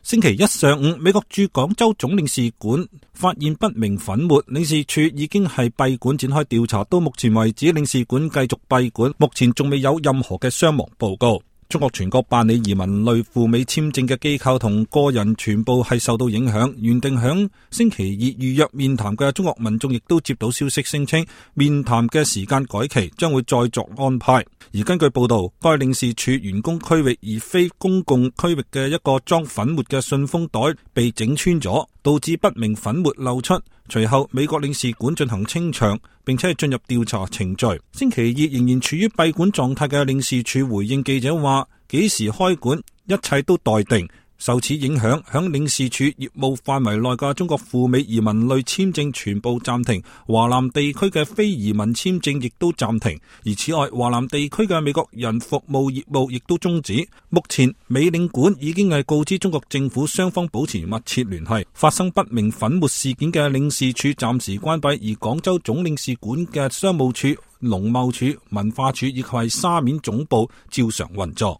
星期一上午，美國駐廣州總領事館發現不明粉末，領事處已經係閉館展開調查。到目前為止，領事館繼續閉館，目前仲未有任何嘅傷亡報告。中國全國辦理移民類赴美簽證嘅機構同個人全部係受到影響。原定響星期二預約面談嘅中國民眾亦都接到消息，聲稱面談嘅時間改期，將會再作安排。而根據報道，該領事處員工區域而非公共區域嘅一個裝粉末嘅信封袋被整穿咗，導致不明粉末漏出。隨後美國領事館進行清場，並且進入調查程序。星期二仍然處於閉館狀態嘅領事處回應記者話，幾時開館一切都待定。受此影響，響領事處業務範圍內嘅中國赴美移民類簽證全部暫停，華南地區嘅非移民簽證亦都暫停。而此外，華南地區嘅美國人服務業務亦都終止。目前美領館已經係告知中國政府，雙方保持密切聯繫。發生不明粉末事件嘅領事處暫時關閉，而廣州總領事館嘅商務處、農貿處、文化處以及係沙面總部照常運作。